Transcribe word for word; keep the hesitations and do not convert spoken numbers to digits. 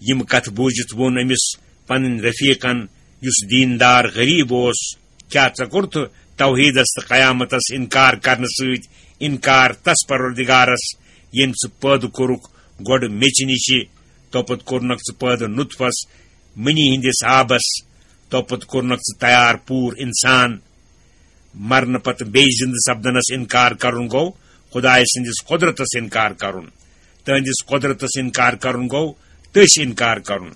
یِم کتھٕ بوٗزِتھ ووٚن أمِس پنٕنۍ رفیقن، یُس دیندار غریب اوس، "کیٛاہ ژےٚ کوٚرتھ توحیدس تہٕ قیامتس انکار کرنہٕ سۭتۍ انکار تس پروردگارس، ییٚمۍ ژٕ پٲدٕ کوٚرُکھ گۄڈٕ میژِ نِشہِ، توپتہٕ کوٚرنکھ ژٕ پٲدٕ نطفس، منی ہٕنٛدِس آبس، توپتہٕ کوٚرنکھ ژٕ تیار پوٗرٕ انسان؟" مرنہٕ پتہٕ بیٚیہِ زِندٕ سپدنس انکار کرُن گوٚو خدایہِ سٕنٛدِس قۄدرتس انکار کرُن۔ تہنٛدِس قۄدرتس انکار کرُن گوٚو تٔسۍ انکار کرُن۔